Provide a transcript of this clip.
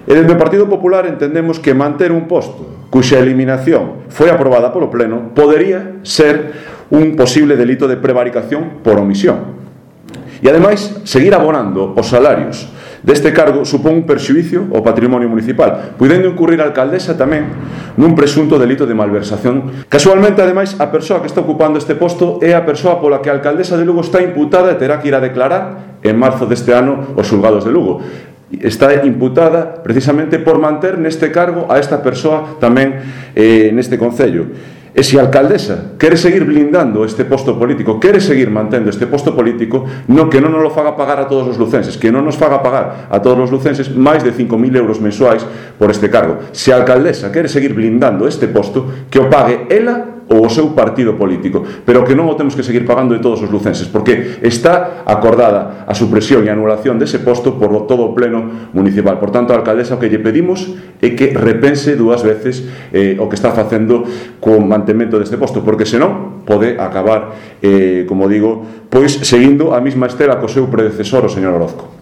E dende o Partido Popular entendemos que manter un posto cuxa eliminación foi aprobada polo Pleno podería ser un posible delito de prevaricación por omisión. E, ademais, seguir abonando os salarios deste cargo supón un perxuízo ao patrimonio municipal, podendo incurrir a alcaldesa tamén nun presunto delito de malversación. Casualmente, ademais, a persoa que está ocupando este posto é a persoa pola que a alcaldesa de Lugo está imputada e terá que ir a declarar en marzo deste ano os xulgados de Lugo. Está imputada precisamente por manter neste cargo a esta persoa tamén neste concello. E se a alcaldesa quere seguir blindando este posto político, quere seguir mantendo este posto político, que non nos lo faga pagar a todos os lucenses, que non nos faga pagar a todos os lucenses máis de 5.000 euros mensuais por este cargo. Se a alcaldesa quere seguir blindando este posto, que o pague ela ou o seu partido político, pero que non o temos que seguir pagando de todos os lucenses, porque está acordada a supresión e anulación dese posto por todo o pleno municipal. Por tanto, a alcaldesa o que lle pedimos é que repense dúas veces o que está facendo co mantemento deste posto, porque senón pode acabar, como digo, pois seguindo a mesma estela co seu predecesor, o señor Orozco.